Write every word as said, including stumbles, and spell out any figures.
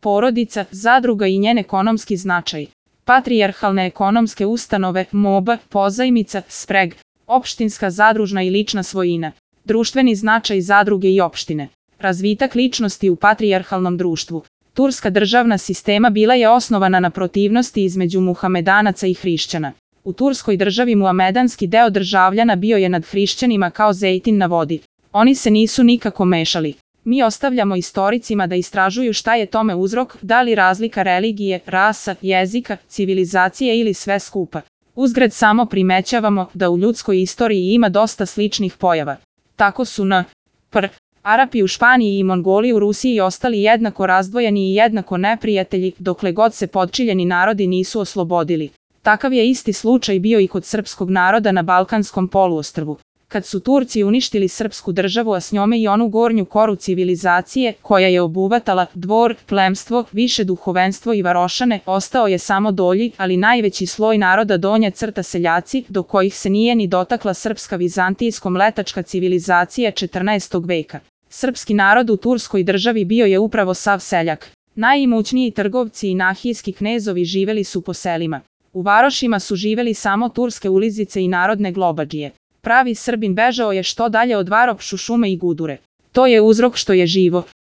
porodica, zadruga i njen ekonomski značaj. Patrijarhalne ekonomske ustanove, M O B, pozajmica, spreg, opštinska zadružna i lična svojina. Društveni značaj zadruge i opštine. Razvitak ličnosti u patrijarhalnom društvu. Turska državna sistema bila je osnovana na protivnosti između muhamedanaca i hrišćana. U Turskoj državi muhamedanski deo državljana bio je nad hrišćanima kao zejtin na vodi. Oni se nisu nikako mešali. Mi ostavljamo istoricima da istražuju šta je tome uzrok, da li razlika religije, rasa, jezika, civilizacije ili sve skupa. Uzgred samo primećavamo da u ljudskoj istoriji ima dosta sličnih pojava. Tako su n. pr. Arapi u Španiji i Mongoli u Rusiji ostali jednako razdvojeni i jednako neprijatelji, dokle god se podčiljeni narodi nisu oslobodili. Takav je isti slučaj bio i kod srpskog naroda na Balkanskom poluostrvu. Kad su Turci uništili srpsku državu, a s njome i onu gornju koru civilizacije, koja je obuhvatala dvor, plemstvo, više duhovenstvo i varošane, ostao je samo dolji, ali najveći sloj naroda donja crta seljaci, do kojih se nije ni dotakla srpska vizantijsko-mletačka civilizacija četrnaestog veka. Srpski narod u Turskoj državi bio je upravo sav seljak. Najimućniji trgovci i nahijski knezovi živeli su po selima. U varošima su živeli samo turske ulizice i narodne globadžije. Pravi Srbin bežao je što dalje od varošu, šume i gudure. To je uzrok što je živo.